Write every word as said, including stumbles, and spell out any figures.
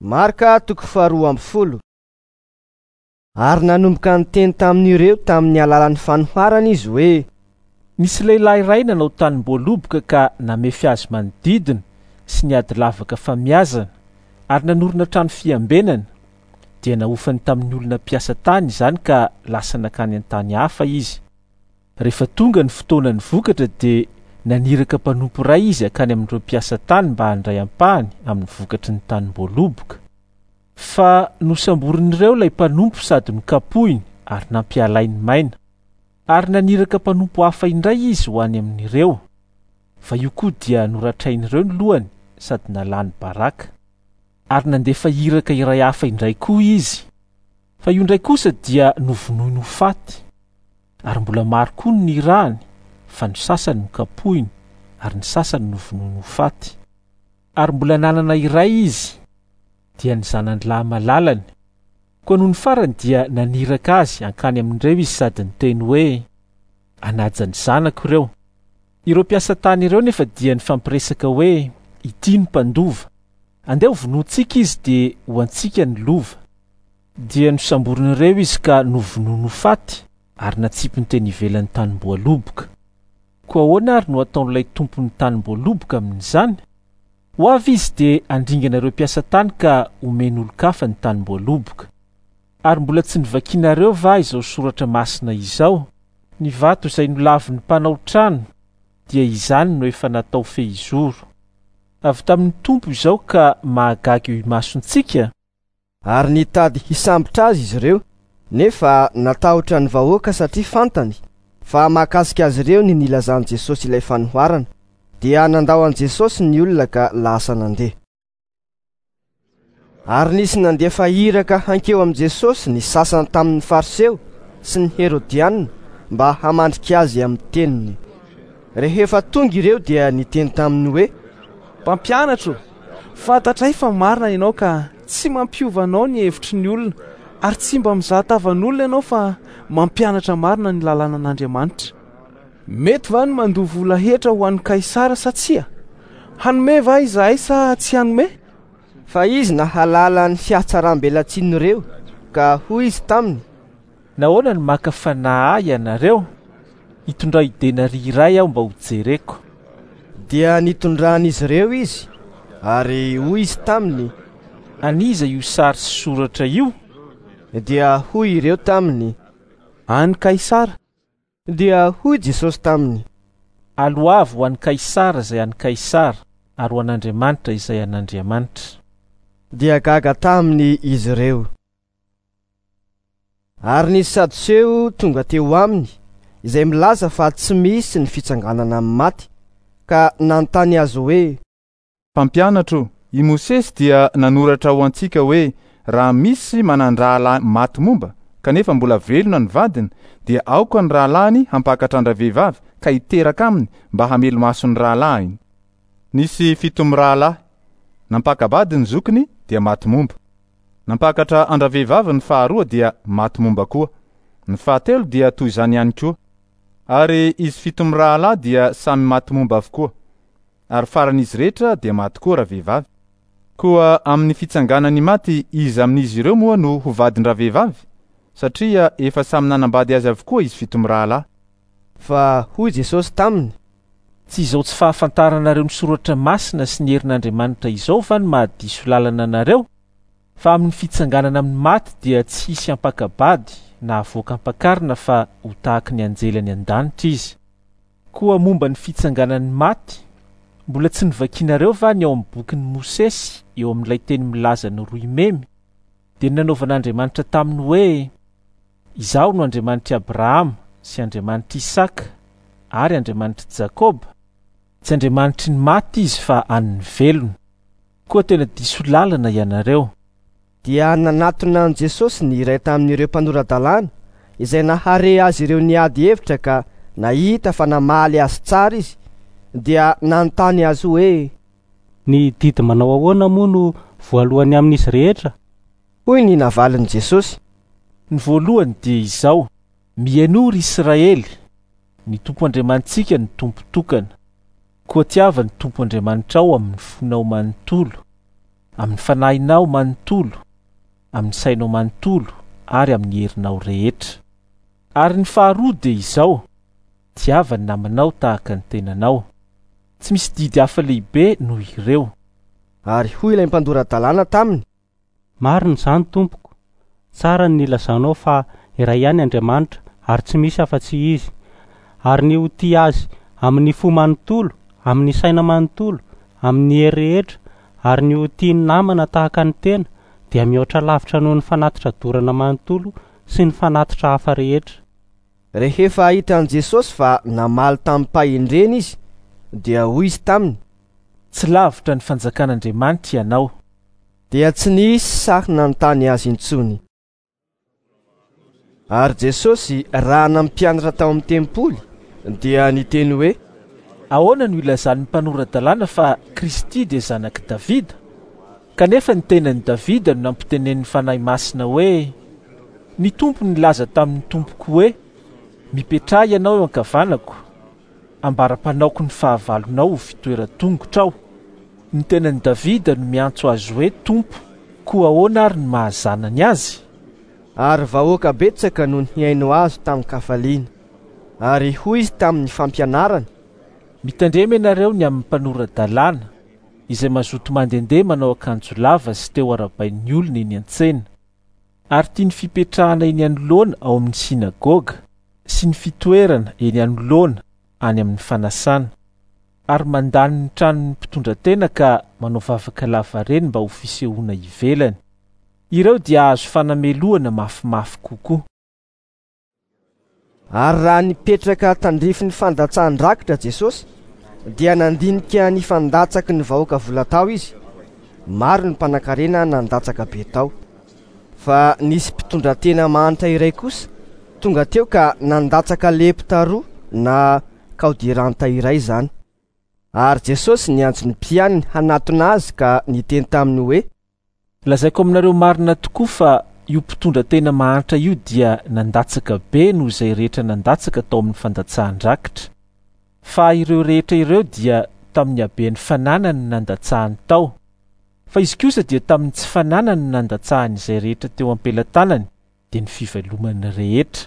Marka toko faharoa amby folo. Ary nanomboka niteny tamin'ireo tamin'ny alalan'ny fanoharana izy hoe: Nisy lehilahy iray nanao tanim-boaloboka ka namefy azy manodidina sy niady lavaka famiazana ary nanorina trano fiambenana. Dia nahofany tamin'ny olona mpiasa tany izany ka lasa nankany an-tany hafa izy. Rehefa tonga ny fotoanan'ny vokatra dia naniraka mpanompo iray izy hankany amin'ireo mpiasa tany mba handray ampahany amin'ny vokatry ny tanim-boaloboka. Fa nosamborin'ireo ilay mpanompo sady nokapohiny ary nampialainy maina. Ary naniraka mpanompo hafa indray izy ho any amin'ireo. Fa io koa dia noratrain'ireo ny lohany sady nalany baraka. Ary nandefa iraka iray hafa indray koa izy. Fa io indray kosa dia novonoiny ho faty. Ary mbola maro koa ny nirahany, fa ny sasany nokapohiny ary ny sasany novonoiny ho faty. Ary mbola nanana iray izy, dia ny zanany lahy malalany. Koa noho ny farany dia naniraka azy hankany amin'ireo izy sady niteny hoe: hanaja ny zanako ireo. Ireo mpiasa tany ireo nefa dia nifampiresaka hoe: ity ny mpandova, andeha ho vonointsika izy dia ho antsika ny lova. Dia nosamborin'ireo izy ka novonoiny ho faty ary natsipiny teny ivelan'ny tanim-boaloboka. Koa ahoana ary no ataon'ilay tompon'ny tanim-boaloboka amin'izany? Ho avy izy dia handringana ireo mpiasa tany ka homen'olon-kafa ny tanim-boaloboka. Ary mbola tsy novakinareo va izao soratra masina izao? Ny vato izay nolavin'ny mpanao trano dia izany no efa natao fehizoro. Avy tamin'ny Tompo izao ka mahagaga eo imasontsika. Ary nitady hisambotra azy izy ireo, nefa natahotra ny vahoaka satria fantany fa mahakasika azy ireo ny nilazan'i Jesosy ilay fanoharana. Dia nandao an'i Jesosy ny olona ka lasa nandeha. Ary nisy nandefa iraka hankeo amin'i Jesosy ny sasany tamin'ny Fariseo sy ny Herodianina mba hamandrika azy amin'ny teniny. Rehefa tonga ireo dia niteny taminy hoe: Mpampianatro, fantatray fa marina ianao ka tsy mampiova anao ny hevitry ny olona ary tsy mba mizaha tavan'olona ianao fa mampianatra marina ny lalànan'Andriamanitra. Mety va ny mandoa vola hetra ho an'ny Kaisara sa tsia? Hanome va izahay sa tsy hanome? Fa izy nahalala ny fihatsaram-belatsin'ireo ka hoy izy taminy: Nahoana no maka fanahy ahy ianareo? Hitondray denaria iray aho mba ho jereko. Dia nitondran'izy ireo izy, ary hoy izy taminy: An'iza io sary sy soratra io? Dia hoy ireo taminy: An'i Kaisara. Dia hoy Jesosy taminy: Aloavy ho an'i Kaisara izay an'i Kaisara, ary ho an'Andriamanitra izay an'Andriamanitra. Dia gaga taminy izy ireo. Ary nisy Sadoseo tonga teo aminy, izay milaza fa tsy misy ny fitsanganana amin'ny maty, ka nanontany azy hoe: Mpampianatro, i Mosesy dia nanoratra ho antsika hoe raha misy manan-drahalahy maty momba kanefa mbola velona ny vadiny, dia aoka ny rahalahiny hampakatra an-dravehivavy ka hiteraka aminy mba hamelo-maso ny rahalahiny. Nisy fito mirahalahy, nampaka-bady ny zokiny dia maty momba. Nampakatra an-dravehivavy ny faharoa dia maty momba koa. Ny fahatelo dia toy izany ihany koa. Ary izy fito mirahalahy dia samy maty momba avokoa. Ary faran'izy rehetra dia maty koa ravehivavy. Koa amin'ny fitsanganany maty iza amin'izy ireo moa no ho vadin-dravehivavy? Satria efa samy nanambady azy avokoa izy fito mirahalahy. Fa hoy Jesosy taminy: Tsy izao tsy fahafantaranareo ny soratra masina sy ny herin'Andriamanitra izao va no mahadiso lalana anareo? Fa amin'ny fitsanganana amin'ny maty dia tsy hisy hampaka-bady na havoaka ampakarina fa ho tahaky ny anjely any an-danitra izy. Koa momba ny fitsanganan'ny maty, mbola tsy novakinareo va ny ao amin'ny bokin'i Mosesy eo amin'ilay teny milaza ny rohy memy? Dia nanaovan'Andriamanitra taminy hoe: Izaho no Andriamanitr'i Abrahama sy Andriamanitr'i Isaka ary Andriamanitr'i Jakoba. Tsy Andriamanitry ny maty izy fa an'ny velona. Koa tena diso lalana ianareo. Dia nanatona an'i Jesosy ny iray tamin'ireo mpanora-dalàna izay nahare azy ireo niady hevitra ka nahita fa namaly azy tsara izy, dia nanontany azy hoe: Ny didy manao ahoana moa no voalohany amin'izy rehetra? Hoy ny navalin'i Jesosy: Ny voalohany dia izao: Mihainoa ry Israely, ny Tompo Andriamanitsika no Tompo tokana. Koa tiava ny Tompo Andriamanitrao amin'ny fonao manontolo, amin'ny fanahinao manontolo, amin'ny sainao manontolo ary amin'ny herinao rehetra. Ary ny faharoa dia izao: tiava ny namanao tahaka ny tenanao. Tsy misy didy hafa lehibe noho ireo. Ary hoy ilay mpandora-dalàna taminy: Marina izany, tompoko. Tsara ny nilazanao fa iray ihany Andriamanitra ary tsy misy afa-tsy izy. Ary ny ho tia azy amin'ny fo manontolo, amin'ny saina manontolo, amin'ny hery rehetra, ary ny ho tia ny namana tahaka ny tena dia mihoatra lavitra noho ny fanatitra dorana manontolo sy ny fanatitra hafa rehetra. Rehefa hitan'i Jesosy fa namaly tamim-pahendrena izy, dia hoy izy taminy: Tsy lavitra ny fanjakan'Andriamanitra ianao. Dia tsy nisy sahy nanontany azy intsony. Ary Jesosy raha nampianatra tao amin'ny tempoly dia niteny hoe: Ahoana no ilazan'ny mpanora-dalàna fa Kristy dia zanak'i Davida? Kanefa ny tenan'i Davida no nampitenenin'ny Fanahy Masina hoe: Ny Tompo nilaza tamin'ny tompoko hoe: Mipetraha ianao eo ankavanako, ambara-panaoko ny fahavalonao ho fitoeran-tongotrao. Ny tenan'i Davida no miantso azy hoe Tompo, koa ahoana ary ny mahazanany azy? Ary vahoaka betsaka no nihaino azy tamin-kafaliana. Ary hoy izy tamin'ny fampianarany: Mitandrema ianareo ny amin'ny mpanora-dalàna izay mazoto mandehandeha manao akanjo lava sy teo arabain'ny olona eny an-tsena, ary tia ny fipetrahana eny anoloana ao amin'ny sinagoga sy ny fitoerana eny anoloana any amin'ny fanasana, ary mandany ny tranon'ny mpitondra tena ka manao vavaka lavareny mba ho fisehoana ivelany. Ireo dia azo fanamelohana mafimafy kokoa. Ary raha nipetraka tandrifin'ny fandatsahan-drakitra Jesosy, dia nandinika ny fandatsaky ny vahoaka vola tao izy. Maro ny mpanankarena nandatsaka be tao. Fa nisy mpitondra tena mahantra iray kosa tonga teo ka nandatsaka lepta roa na kaodiranta iray izany. Ary Jesosy niantso ny mpianany hanatona azy ka niteny taminy hoe: Lazaiko aminareo marina tokoa fa io mpitondra tena mahantra io dia nandatsaka be noho izay rehetra nandatsaka tao amin'ny fandatsahan-drakitra. Fa ireo rehetra ireo dia tamin'ny haben'ny fananany no nandatsahany tao. Fa izy kosa dia tamin'ny tsy fananany no nandatsahany izay rehetra teo am-pelatanany, dia ny fivelomany rehetra.